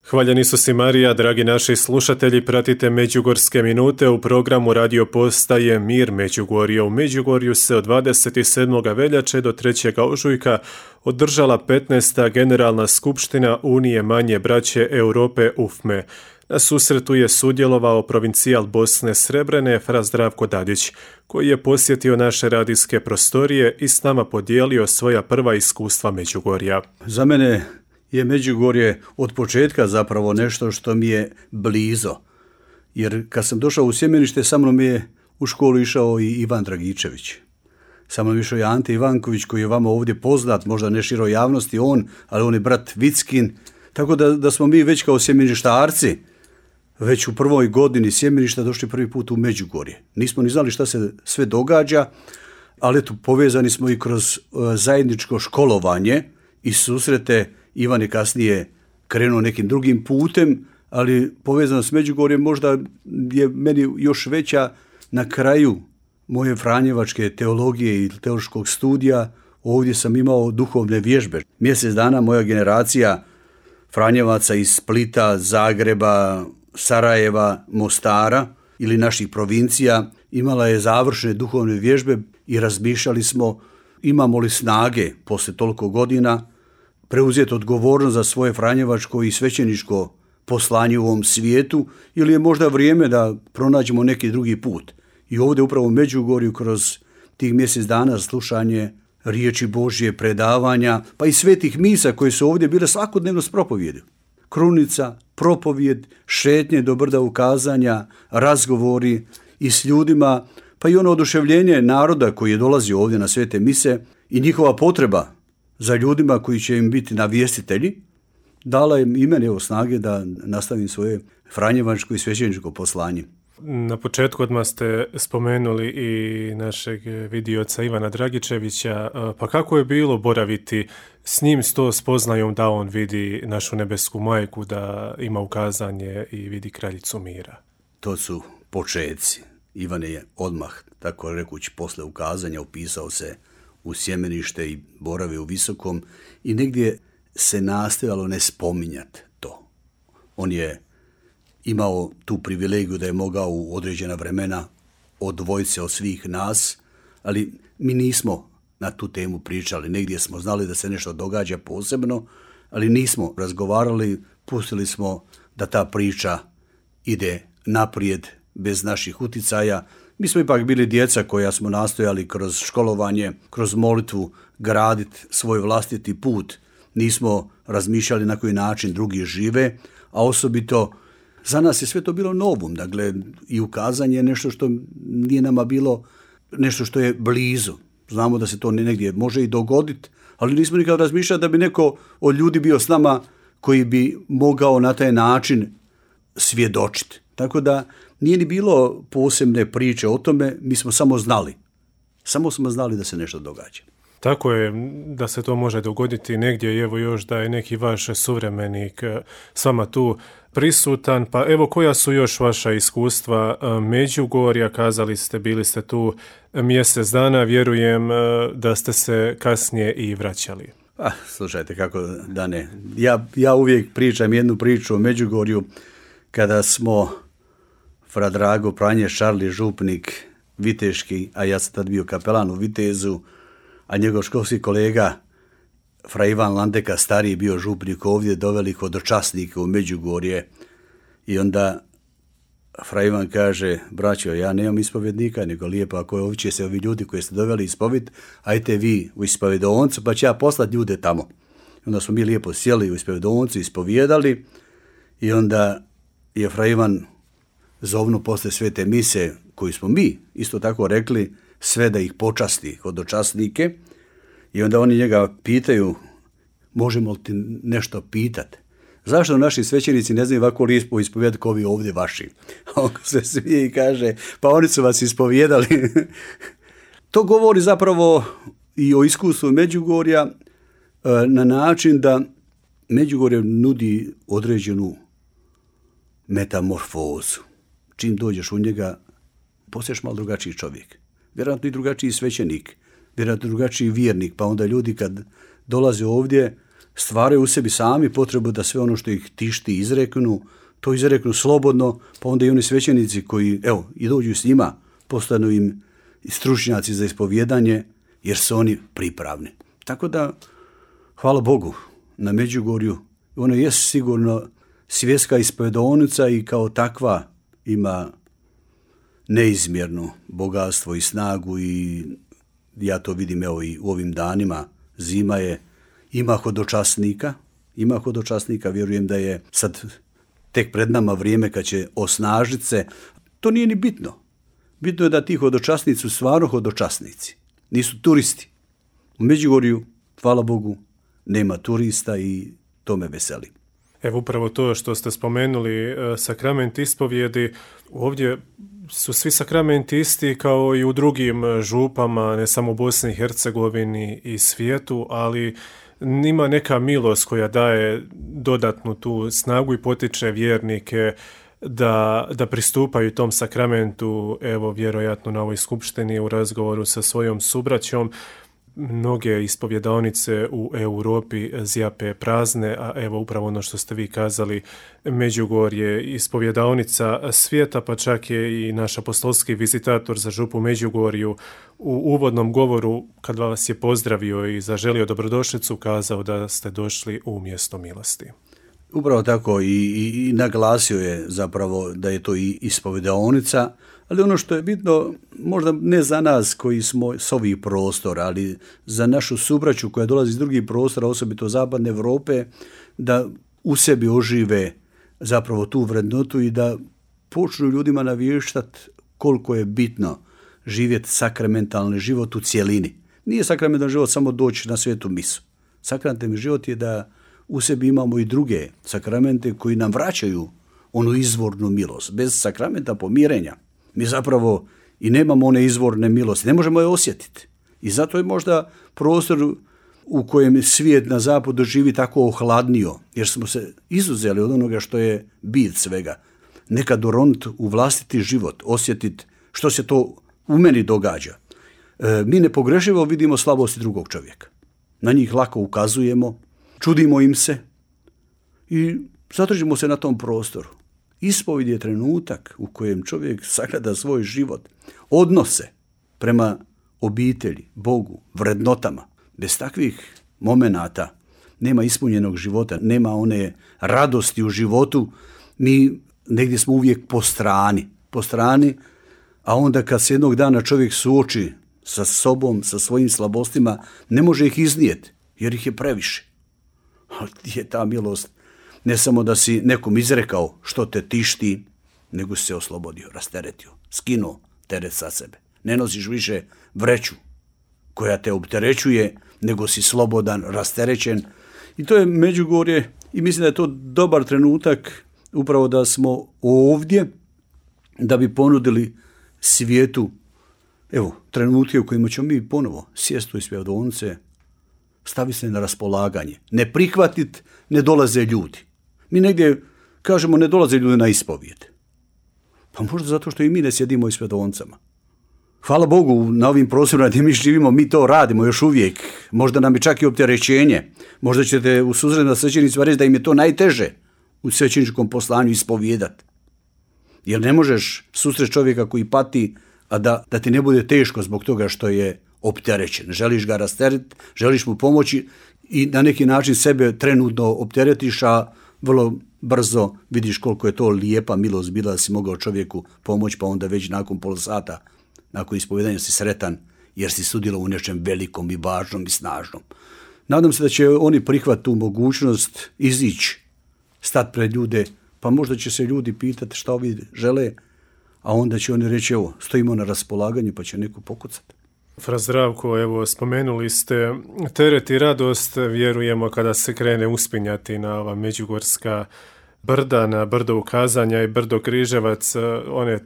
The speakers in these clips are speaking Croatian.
Hvaljeni su si Marija, dragi naši slušatelji, pratite Međugorske minute u programu radio postaje Mir Međugorje. U Međugorju se od 27. veljače do 3. ožujka održala 15. generalna skupština Unije manje braće Europe UFME. Na susretu je sudjelovao provincijal Bosne Srebrene fra Zdravko Dadić, koji je posjetio naše radijske prostorije i s nama podijelio svoja prva iskustva Međugorja. Za mene je Međugorje od početka zapravo nešto što mi je blizo. Jer kad sam došao u Sjemenište, sa mnom je u školu išao i Ivan Dragičević. Sa mnom išao je Ante Ivanković, koji je vama ovdje poznat, možda ne široj javnosti ali on je brat Vickin. Tako da smo mi već kao sjemeništarci, već u prvoj godini Sjemeništa došli prvi put u Međugorje. Nismo ni znali šta se sve događa, ali eto, povezani smo i kroz zajedničko školovanje i susrete. Ivan je kasnije krenuo nekim drugim putem, ali povezano s Međugorjem možda je meni još veća na kraju moje franjevačke teologije i teološkog studija. Ovdje sam imao duhovne vježbe. Mjesec dana moja generacija franjevaca iz Splita, Zagreba, Sarajeva, Mostara ili naših provincija imala je završene duhovne vježbe i razmišljali smo imamo li snage poslije toliko godina preuzeti odgovornost za svoje franjevačko i svećeničko poslanje u ovom svijetu ili je možda vrijeme da pronađemo neki drugi put. I ovdje upravo u Međugorju kroz tih mjesec dana slušanje riječi Božje, predavanja, pa i svetih misa koje su ovdje bile svakodnevno s propovjedi. Krunica, propovjed, šetnje do brda ukazanja, razgovori i s ljudima, pa i ono oduševljenje naroda koji je dolazio ovdje na svete mise i njihova potreba za ljudima koji će im biti navjestitelji, dala je i meni snage da nastavim svoje franjevačko i svećeničko poslanje. Na početku odmah ste spomenuli i našeg vidioca Ivana Dragičevića, pa kako je bilo boraviti s njim, s to spoznajom da on vidi našu nebesku majku, da ima ukazanje i vidi kraljicu mira? To su početci. Ivan je odmah, tako rekući, posle ukazanja upisao se u Sjemenište i boravio u Visokom i negdje se nastojalo ne spominjati to. On je imao tu privilegiju da je mogao u određena vremena odvojiti se od svih nas, ali mi nismo na tu temu pričali. Negdje smo znali da se nešto događa posebno, ali nismo razgovarali, pustili smo da ta priča ide naprijed bez naših uticaja. Mi smo ipak bili djeca koja smo nastojali kroz školovanje, kroz molitvu graditi svoj vlastiti put. Nismo razmišljali na koji način drugi žive, a osobito za nas je sve to bilo novum. Dakle, i ukazanje je nešto što nije nama bilo nešto što je blizu. Znamo da se to negdje može i dogoditi, ali nismo nikad razmišljali da bi neko od ljudi bio s nama koji bi mogao na taj način svjedočiti. Tako da nije ni bilo posebne priče o tome, mi smo samo znali. Samo smo znali da se nešto događa. Tako je, da se to može dogoditi negdje i evo još da je neki vaš suvremenik s vama tu prisutan. Pa evo koja su još vaša iskustva Međugorja, kazali ste, bili ste tu mjesec dana, vjerujem da ste se kasnije i vraćali. Slušajte, kako da ne. Ja uvijek pričam jednu priču o Međugorju kada smo fra Drago Pranje Šarli župnik viteški, a ja sam tad bio kapelan u Vitezu, a njegov školski kolega fra Ivan Landeka stariji bio župnik ovdje, doveli hodočasnike u Međugorje i onda fra Ivan kaže, braćo, ja nemam ispovjednika, nego lijepo ako je ovdje se ovi ljudi koji ste doveli ispovjed, ajte vi u ispovjedoncu pa će ja poslati ljude tamo. Onda smo mi lijepo sjeli u ispovjedoncu, ispovjedali i onda je fra Ivan zovnu posle svete mise koju smo mi isto tako rekli sve da ih počasti hodočasnike i onda oni njega pitaju možemo li ti nešto pitati? Zašto naši svećenici ne znaju ovako lijepo ispovjedati kao ovi ovdje vaši? A on se smije i kaže pa oni su vas ispovjedali. To govori zapravo i o iskustvu Međugorja na način da Međugorje nudi određenu metamorfozu. Čim dođeš u njega, postaješ malo drugačiji čovjek. Vjerojatno i drugačiji svećenik, vjerojatno drugačiji vjernik, pa onda ljudi kad dolaze ovdje stvaraju u sebi sami potrebu da sve ono što ih tišti izreknu, to izreknu slobodno, pa onda i oni svećenici koji, i dođu s njima, postanu im stručnjaci za ispovjedanje, jer su oni pripravni. Tako da, hvala Bogu, na Međugorju, ono je sigurno svjetska ispovjedaonica i kao takva ima neizmjerno bogatstvo i snagu i ja to vidim i u ovim danima, zima je, ima hodočasnika, vjerujem da je sad tek pred nama vrijeme kad će osnažiti se. To nije ni bitno. Bitno je da ti hodočasnici su stvarno hodočasnici. Nisu turisti. U Međugorju, hvala Bogu, nema turista i to me veseli. Evo upravo to što ste spomenuli, sakrament ispovjedi, ovdje su svi sakramenti isti kao i u drugim župama, ne samo u Bosni i Hercegovini i svijetu, ali ima neka milost koja daje dodatnu tu snagu i potiče vjernike da pristupaju tom sakramentu, evo vjerojatno na ovoj skupštini u razgovoru sa svojom subraćom. Mnoge ispovjedaonice u Europi zjape prazne, a evo upravo ono što ste vi kazali, Međugorje je ispovjedaonica svijeta, pa čak je i naš apostolski vizitator za župu Međugorju u uvodnom govoru, kad vas je pozdravio i zaželio dobrodošlicu, kazao da ste došli u mjesto milosti. Upravo tako i naglasio je zapravo da je to i ispovjedaonica, ali ono što je bitno, možda ne za nas koji smo s ovih prostora, ali za našu subraću koja dolazi iz drugih prostora, osobito zapadne Europe, da u sebi ožive zapravo tu vrednotu i da počnu ljudima navještati koliko je bitno živjeti sakramentalni život u cjelini. Nije sakramentalni život samo doći na svetu misu. Sakramentalni život je da u sebi imamo i druge sakramente koji nam vraćaju onu izvornu milost. Bez sakramenta pomirenja mi zapravo i nemamo one izvorne milosti, ne možemo je osjetiti. I zato je možda prostor u kojem svijet na zapadu živi tako ohladnio, jer smo se izuzeli od onoga što je bit svega. Nekad doroniti u vlastiti život, osjetiti što se to u meni događa. Mi nepogrešivo vidimo slabosti drugog čovjeka. Na njih lako ukazujemo, čudimo im se i zadržimo se na tom prostoru. Ispovjed je trenutak u kojem čovjek sagleda svoj život, odnose prema obitelji, Bogu, vrednotama. Bez takvih momenata nema ispunjenog života, nema one radosti u životu. Mi negdje smo uvijek po strani, a onda kad se jednog dana čovjek suoči sa sobom, sa svojim slabostima, ne može ih iznijeti, jer ih je previše. Ali je ta milost ne samo da si nekom izrekao što te tišti, nego si se oslobodio, rasteretio, skinuo teret sa sebe. Ne nosiš više vreću koja te opterećuje, nego si slobodan, rasterećen. I to je Međugorje i mislim da je to dobar trenutak upravo da smo ovdje da bi ponudili svijetu trenutke u kojima ćemo mi ponovo sjesti u ispovjedaonice, stavi se na raspolaganje. Ne prihvatiti, ne dolaze ljudi. Mi negdje kažemo ne dolaze ljudi na ispovijed. Pa možda zato što i mi ne sjedimo u ispovjedaonicama. Hvala Bogu, na ovim prostorima gdje mi živimo, mi to radimo još uvijek. Možda nam je čak i opterećenje. Možda ćete u susretu svećenicima reći da im je to najteže u svećeničkom poslanju ispovijedati. Jer ne možeš susreti čovjeka koji pati, a da ti ne bude teško zbog toga što je opterećen. Želiš ga rasteretiti, želiš mu pomoći i na neki način sebe trenutno opteretiš, a vrlo brzo vidiš koliko je to lijepa milost bila da si mogao čovjeku pomoći, pa onda već nakon pol sata, nakon ispovjedanja si sretan jer si sudjelovao u nečem velikom i važnom i snažnom. Nadam se da će oni prihvatiti tu mogućnost, izići, stati pred ljude, pa možda će se ljudi pitati šta ovi žele, a onda će oni reći stojimo na raspolaganju pa će neko pokucati. Fra Zdravko, evo, spomenuli ste teret i radost, vjerujemo kada se krene uspinjati na ova međugorska brda, na brdo Ukazanja i brdo Križevac, one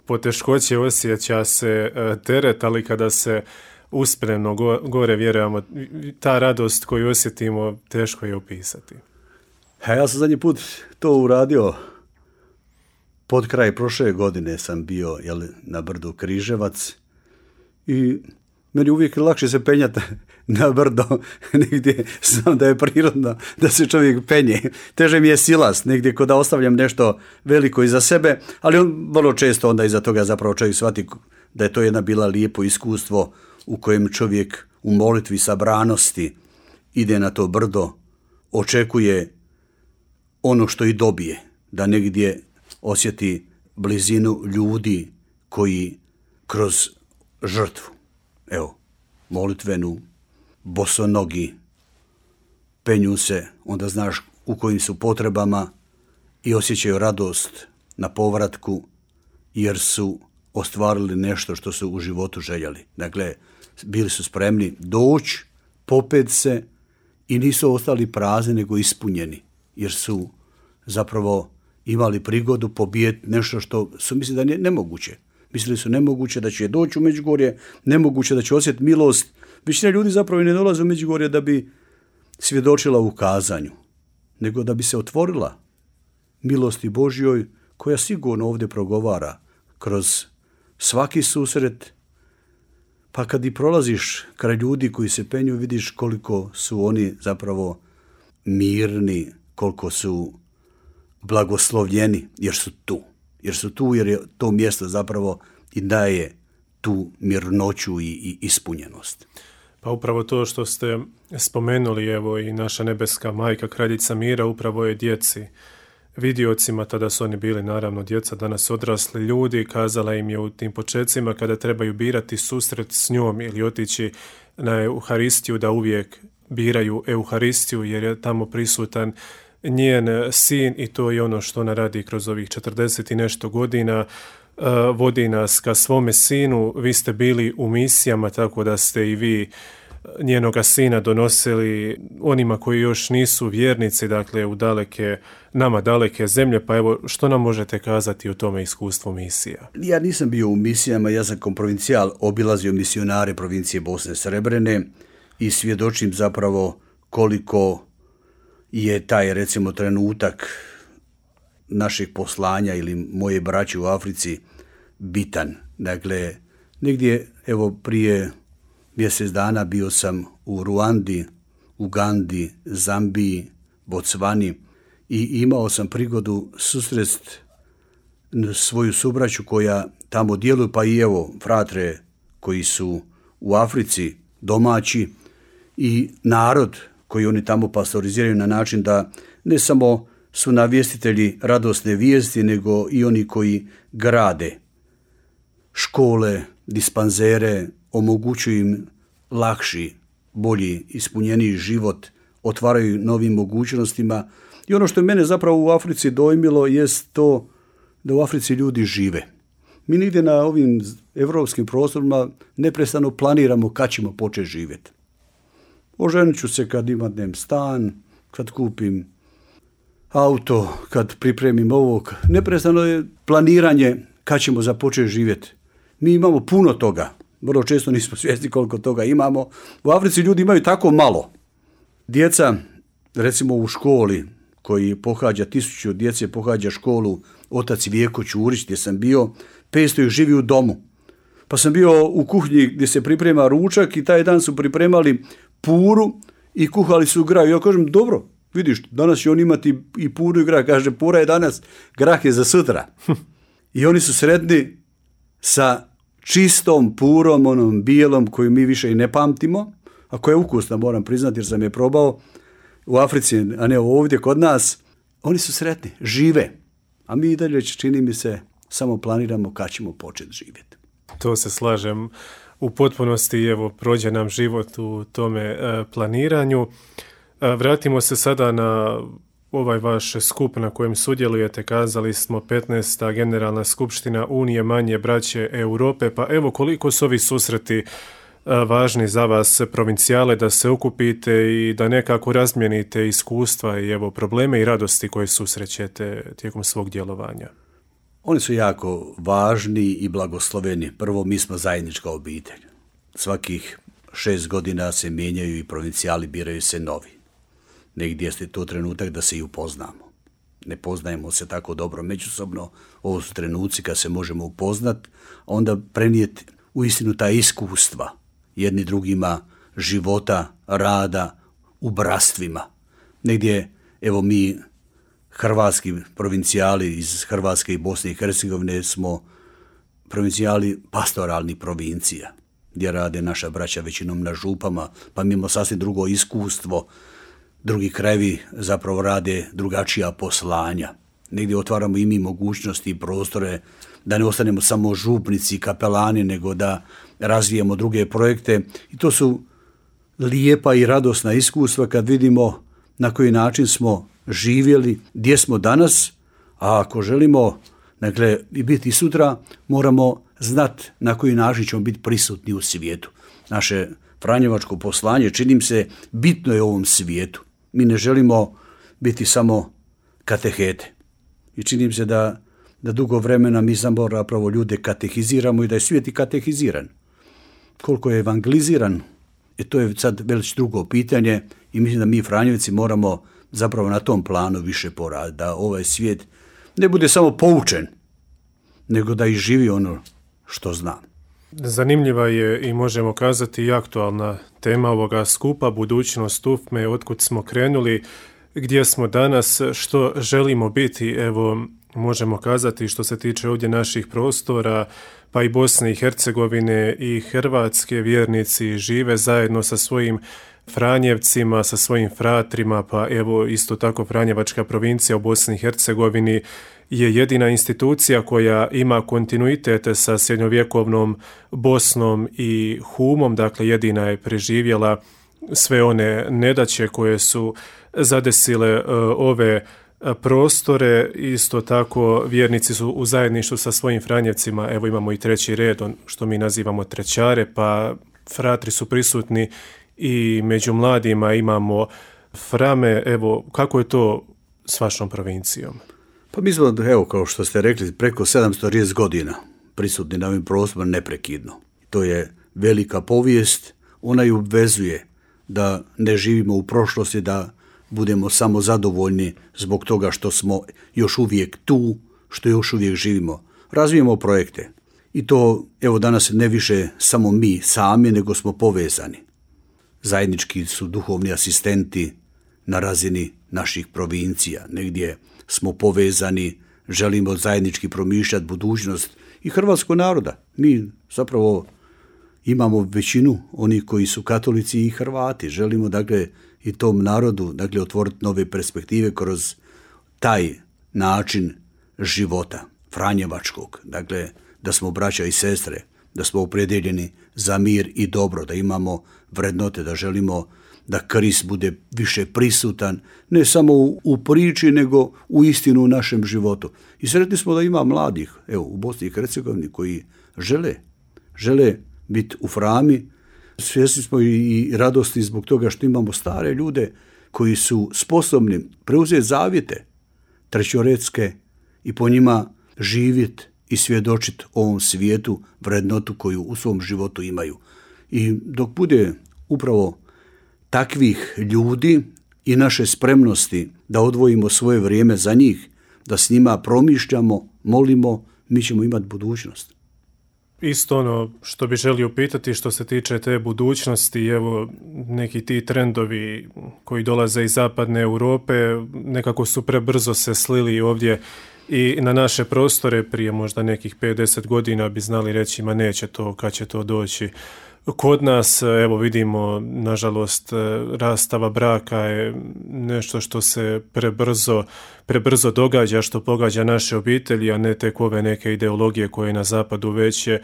poteškoće osjeća se teret, ali kada se uspremno gore vjerujemo, ta radost koju osjetimo teško je opisati. Ja sam zadnji put to uradio, pod kraj prošle godine sam bio na brdu Križevac i meni uvijek lakše se penjati na brdo, negdje znam da je prirodno da se čovjek penje. Teže mi je silas, negdje kod da ostavljam nešto veliko iza sebe, ali on vrlo često onda iza toga zapravo čovjek shvati da je to jedna bila lijepo iskustvo u kojem čovjek u molitvi sabranosti ide na to brdo, očekuje ono što i dobije, da negdje osjeti blizinu ljudi koji kroz žrtvu, evo, molitvenu, bosonogi, penju se, onda znaš u kojim su potrebama i osjećaju radost na povratku jer su ostvarili nešto što su u životu željeli. Dakle, bili su spremni doći, popet se i nisu ostali prazni nego ispunjeni jer su zapravo imali prigodu pobijeti nešto što su mislili da je nemoguće. Mislili su nemoguće da će doći u Međugorje, nemoguće da će osjetiti milost. Većina ljudi zapravo i ne dolaze u Međugorje da bi svjedočila u kazanju, nego da bi se otvorila milosti Božjoj koja sigurno ovdje progovara kroz svaki susret. Pa kad i prolaziš kraj ljudi koji se penju, vidiš koliko su oni zapravo mirni, koliko su blagoslovljeni jer su tu. Jer je to mjesto zapravo i daje tu mirnoću i ispunjenost. Pa upravo to što ste spomenuli, evo i naša nebeska majka, kraljica mira, upravo je djeci, vidiocima, tada su oni bili naravno djeca, danas odrasli ljudi, kazala im je u tim počecima kada trebaju birati susret s njom ili otići na Euharistiju, da uvijek biraju Euharistiju jer je tamo prisutan njen sin i to je ono što ona radi kroz ovih 40 i nešto godina, vodi nas ka svome sinu. Vi ste bili u misijama, tako da ste i vi njenoga sina donosili onima koji još nisu vjernici, dakle u nama daleke zemlje, pa evo što nam možete kazati o tome iskustvu misija? Ja nisam bio u misijama, ja sam kao provincijal obilazio misionare provincije Bosne Srebrene i svjedočim zapravo koliko je taj, recimo, trenutak naših poslanja ili moje braće u Africi bitan. Dakle, negdje, evo, prije mjesec dana bio sam u Ruandi, Ugandi, Zambiji, Bocvani i imao sam prigodu susresti svoju subraću koja tamo djeluju, pa i evo, fratre koji su u Africi domaći i narod koji oni tamo pastoriziraju na način da ne samo su navjestitelji radosne vijesti, nego i oni koji grade škole, dispanzere, omogućuju im lakši, bolji, ispunjeniji život, otvaraju novim mogućnostima. I ono što je mene zapravo u Africi dojmilo jest to da u Africi ljudi žive. Mi nigdje na ovim evropskim prostorima neprestano planiramo kad ćemo početi živjeti. Oženit ću se kad imam stan, kad kupim auto, kad pripremim ovog. Neprestano je planiranje kad ćemo započeti živjeti. Mi imamo puno toga. Vrlo često nismo svjesni koliko toga imamo. U Africi ljudi imaju tako malo. Djeca, recimo u školi, koji pohađa 1000 djece, pohađa školu otac Vijeko Ćurić, gdje sam bio, 500 ih živi u domu. Pa sam bio u kuhinji gdje se priprema ručak i taj dan su pripremali puru i kuhali su grah. Ja kažem, dobro, vidiš, danas će on imati i puru i grah. Kaže, pura je danas, grah je za sutra. I oni su sretni sa čistom purom, onom bijelom koju mi više i ne pamtimo, a koja je ukusna, moram priznati, jer sam je probao u Africi, a ne ovdje kod nas. Oni su sretni, žive, a mi i dalje, čini mi se, samo planiramo kad ćemo početi živjeti. To se slažem u potpunosti, evo, prođe nam život u tome planiranju. Vratimo se sada na ovaj vaš skup na kojem sudjelujete, kazali smo 15. generalna skupština Unije manje braće Europe, pa evo koliko su ovi susreti važni za vas provincijale da se okupite i da nekako razmijenite iskustva i evo probleme i radosti koje susrećete tijekom svog djelovanja? Oni su jako važni i blagosloveni. Prvo, mi smo zajednička obitelj. Svakih 6 godina se mijenjaju i provincijali, biraju se novi. Negdje je to trenutak da se i upoznamo. Ne poznajemo se tako dobro međusobno. Ovo su trenuci kad se možemo upoznat, a onda prenijeti uistinu ta iskustva jedni drugima života, rada u brastvima. Negdje, evo mi, hrvatski provincijali iz Hrvatske i Bosne i Hercegovine smo provincijali pastoralnih provincija, gdje rade naša braća većinom na župama, pa mi imamo sasvim drugo iskustvo. Drugi krajevi zapravo rade drugačija poslanja. Negdje otvaramo i mi mogućnosti i prostore da ne ostanemo samo župnici i kapelani, nego da razvijemo druge projekte. I to su lijepa i radosna iskustva kad vidimo na koji način smo živjeli, gdje smo danas, a ako želimo biti sutra, moramo znati na koji način ćemo biti prisutni u svijetu. Naše franjevačko poslanje, čini se, bitno je u ovom svijetu. Mi ne želimo biti samo katehete. I čini se da dugo vremena mi zapravo ljude katehiziramo i da je svijet i katehiziran. Koliko je evangeliziran, to je sad već drugo pitanje i mislim da mi Franjevci moramo zapravo na tom planu više poraditi, da ovaj svijet ne bude samo poučen, nego da i živi ono što zna. Zanimljiva je i možemo kazati i aktualna tema ovoga skupa, budućnost UFME, otkud smo krenuli, gdje smo danas, što želimo biti. Evo, možemo kazati što se tiče ovdje naših prostora, pa i Bosne i Hercegovine i Hrvatske, vjernici žive zajedno sa svojim Franjevcima, sa svojim fratrima, pa evo isto tako Franjevačka provincija u Bosni i Hercegovini je jedina institucija koja ima kontinuitet sa srednjovjekovnom Bosnom i Humom, dakle jedina je preživjela sve one nedaće koje su zadesile ove prostore. Isto tako vjernici su u zajedništvu sa svojim Franjevcima, evo imamo i treći red, što mi nazivamo trećare, pa fratri su prisutni i među mladima imamo frame. Evo, kako je to s vašom provincijom? Pa mi smo, evo, kao što ste rekli, preko 730 godina prisutni na ovim prostorima neprekidno. To je velika povijest, ona ju obvezuje da ne živimo u prošlosti, da budemo samo zadovoljni zbog toga što smo još uvijek tu, što još uvijek živimo. Razvijemo projekte i to, evo, danas ne više samo mi sami, nego smo povezani. Zajednički su duhovni asistenti na razini naših provincija. Negdje smo povezani, želimo zajednički promišljati budućnost i hrvatskog naroda. Mi zapravo imamo većinu onih koji su katolici i Hrvati. Želimo, dakle, i tom narodu, dakle, otvoriti nove perspektive kroz taj način života franjevačkog. Dakle, da smo braća i sestre, da smo opredjeljeni za mir i dobro, da imamo vrednote, da želimo da Krist bude više prisutan, ne samo u priči, nego u istinu u našem životu. I sretni smo da ima mladih, evo, u Bosni i Hercegovini koji žele biti u frami. Svjesni smo i radosti zbog toga što imamo stare ljude koji su sposobni preuzeti zavjete trećoredske i po njima živjeti i svjedočiti ovom svijetu vrednotu koju u svom životu imaju. I dok bude upravo takvih ljudi i naše spremnosti da odvojimo svoje vrijeme za njih, da s njima promišljamo, molimo, mi ćemo imati budućnost. Isto ono što bi želio pitati što se tiče te budućnosti, evo neki ti trendovi koji dolaze iz zapadne Europe nekako su prebrzo se slili ovdje i na naše prostore. Prije možda nekih 50 godina bi znali reći ma neće to, kad će to doći. Kod nas, evo vidimo, nažalost, rastava braka je nešto što se prebrzo događa, što pogađa naše obitelji, a ne tek ove neke ideologije koje na zapadu već je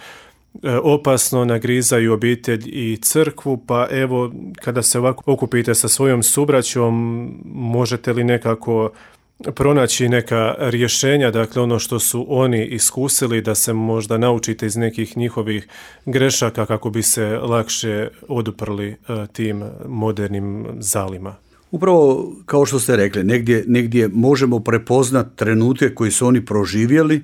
opasno nagrizaju obitelj i crkvu. Pa evo, kada se ovako okupite sa svojom subraćom, možete li nekako pronaći neka rješenja, dakle ono što su oni iskusili, da se možda naučite iz nekih njihovih grešaka kako bi se lakše oduprli tim modernim zalima? Upravo kao što ste rekli, negdje možemo prepoznati trenutke koji su oni proživjeli.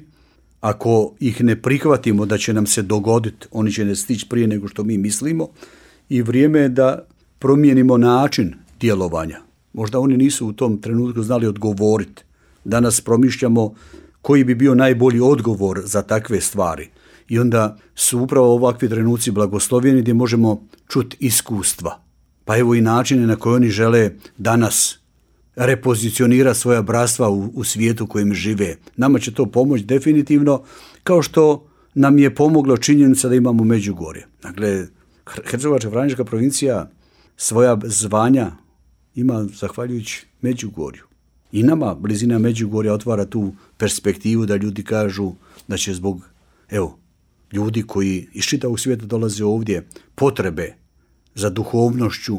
Ako ih ne prihvatimo da će nam se dogoditi, oni će ne stići prije nego što mi mislimo i vrijeme je da promijenimo način djelovanja. Možda oni nisu u tom trenutku znali odgovoriti. Danas promišljamo koji bi bio najbolji odgovor za takve stvari. I onda su upravo ovakvi trenuci blagoslovljeni gdje možemo čuti iskustva. Pa evo i načine na koje oni žele danas repozicionirati svoja bratstva u svijetu u kojem žive. Nama će to pomoći definitivno, kao što nam je pomoglo činjenica da imamo Međugorje. Dakle, Hercegovačko-franjevačka provincija svoja zvanja ima zahvaljujući Međugorju. I nama blizina Međugorja otvara tu perspektivu da ljudi kažu da će zbog, ljudi koji iz čitavog svijeta dolaze ovdje, potrebe za duhovnošću,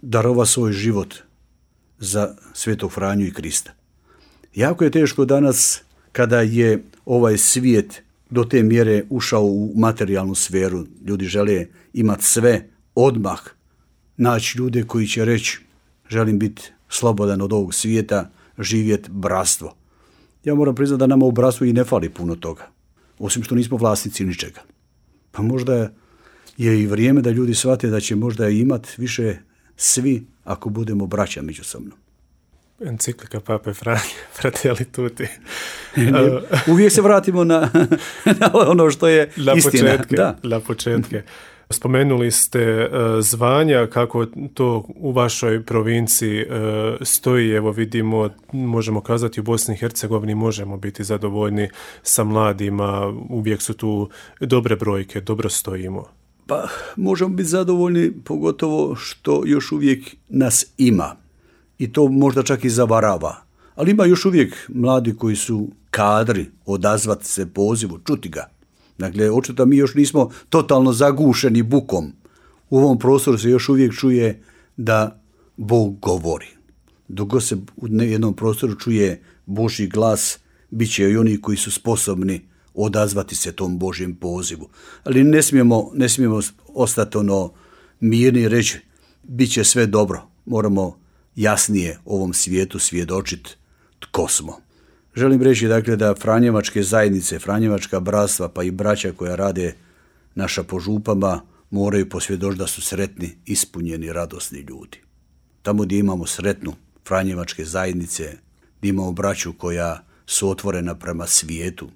darova svoj život za Svetog Franju i Krista. Jako je teško danas kada je ovaj svijet do te mjere ušao u materijalnu sferu. Ljudi žele imati sve odmah, naći ljude koji će reći želim biti slobodan od ovog svijeta, živjeti bratstvo. Ja moram priznati da nama u bratstvu i ne fali puno toga, osim što nismo vlasnici ničega. Pa možda je i vrijeme da ljudi shvate da će možda imati više svi ako budemo braća međusobno. Enciklika Pape Franje, Fratelli Tutti. Uvijek se vratimo na ono što je istina. Na početke. Spomenuli ste zvanja, kako to u vašoj provinciji stoji. Evo vidimo, možemo kazati u Bosni i Hercegovini možemo biti zadovoljni sa mladima, uvijek su tu dobre brojke, dobro stojimo. Pa možemo biti zadovoljni, pogotovo što još uvijek nas ima. I to možda čak i zavarava. Ali ima još uvijek mladi koji su kadri odazvati se pozivu, čuti ga. Dakle, očito mi još nismo totalno zagušeni bukom. U ovom prostoru se još uvijek čuje da Bog govori. Dok god se u jednom prostoru čuje Božji glas, bit će i oni koji su sposobni odazvati se tom Božjem pozivu. Ali ne smijemo ostati mirni i reći bit će sve dobro. Moramo jasnije ovom svijetu svjedočiti tko smo. Želim reći dakle da franjevačke zajednice, franjevačka bratstva pa i braća koja rade naša po župama moraju posvjedočiti da su sretni, ispunjeni, radosni ljudi. Tamo gdje imamo sretnu franjevačke zajednice, gdje imamo braću koja su otvorena prema svijetu,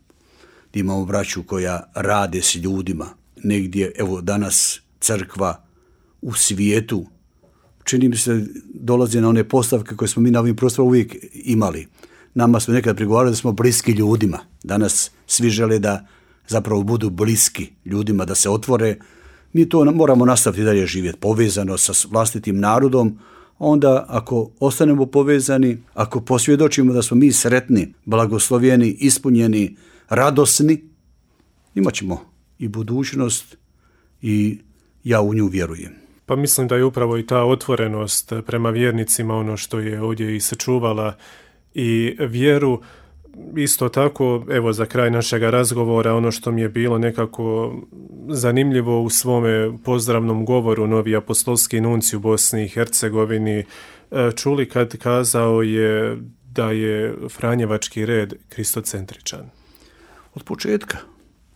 gdje imamo braću koja rade s ljudima, negdje, evo danas crkva u svijetu, čini mi se dolazi na one postavke koje smo mi na ovim prostorima uvijek imali. Nama smo nekad prigovarali da smo bliski ljudima. Danas svi žele da zapravo budu bliski ljudima, da se otvore. Mi to moramo nastaviti dalje živjeti, povezano sa vlastitim narodom. Onda ako ostanemo povezani, ako posvjedočimo da smo mi sretni, blagoslovljeni, ispunjeni, radosni, imat ćemo i budućnost i ja u nju vjerujem. Pa mislim da je upravo i ta otvorenost prema vjernicima ono što je ovdje i sačuvala i vjeru. Isto tako, evo za kraj našeg razgovora, ono što mi je bilo nekako zanimljivo u svome pozdravnom govoru novi apostolski nuncij u Bosni i Hercegovini čuli kad kazao je da je franjevački red kristocentričan.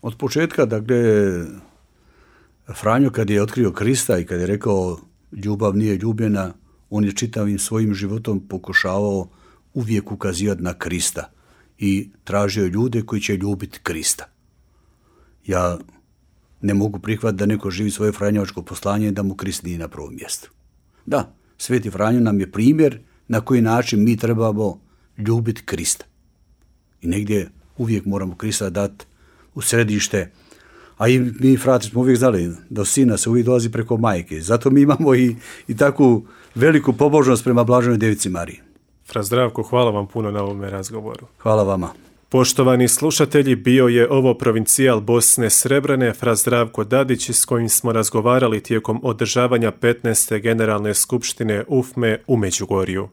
Od početka, dakle, Franjo kad je otkrio Krista i kad je rekao ljubav nije ljubljena, on je čitavim svojim životom pokušavao uvijek ukazivati na Krista i tražio ljude koji će ljubiti Krista. Ja ne mogu prihvatiti da neko živi svoje franjevačko poslanje i da mu Krist nije na prvom mjestu. Da, Sveti Franjo nam je primjer na koji način mi trebamo ljubiti Krista. I negdje uvijek moramo Krista dati u središte. A i mi, frati, smo uvijek znali da sina se uvijek dolazi preko majke. Zato mi imamo i takvu veliku pobožnost prema Blaženoj Devici Mariji. Fra Zdravko, hvala vam puno na ovome razgovoru. Hvala vama. Poštovani slušatelji, bio je ovo provincijal Bosne Srebrene, fra Zdravko Dadić, s kojim smo razgovarali tijekom održavanja 15. Generalne skupštine UFME u Međugorju.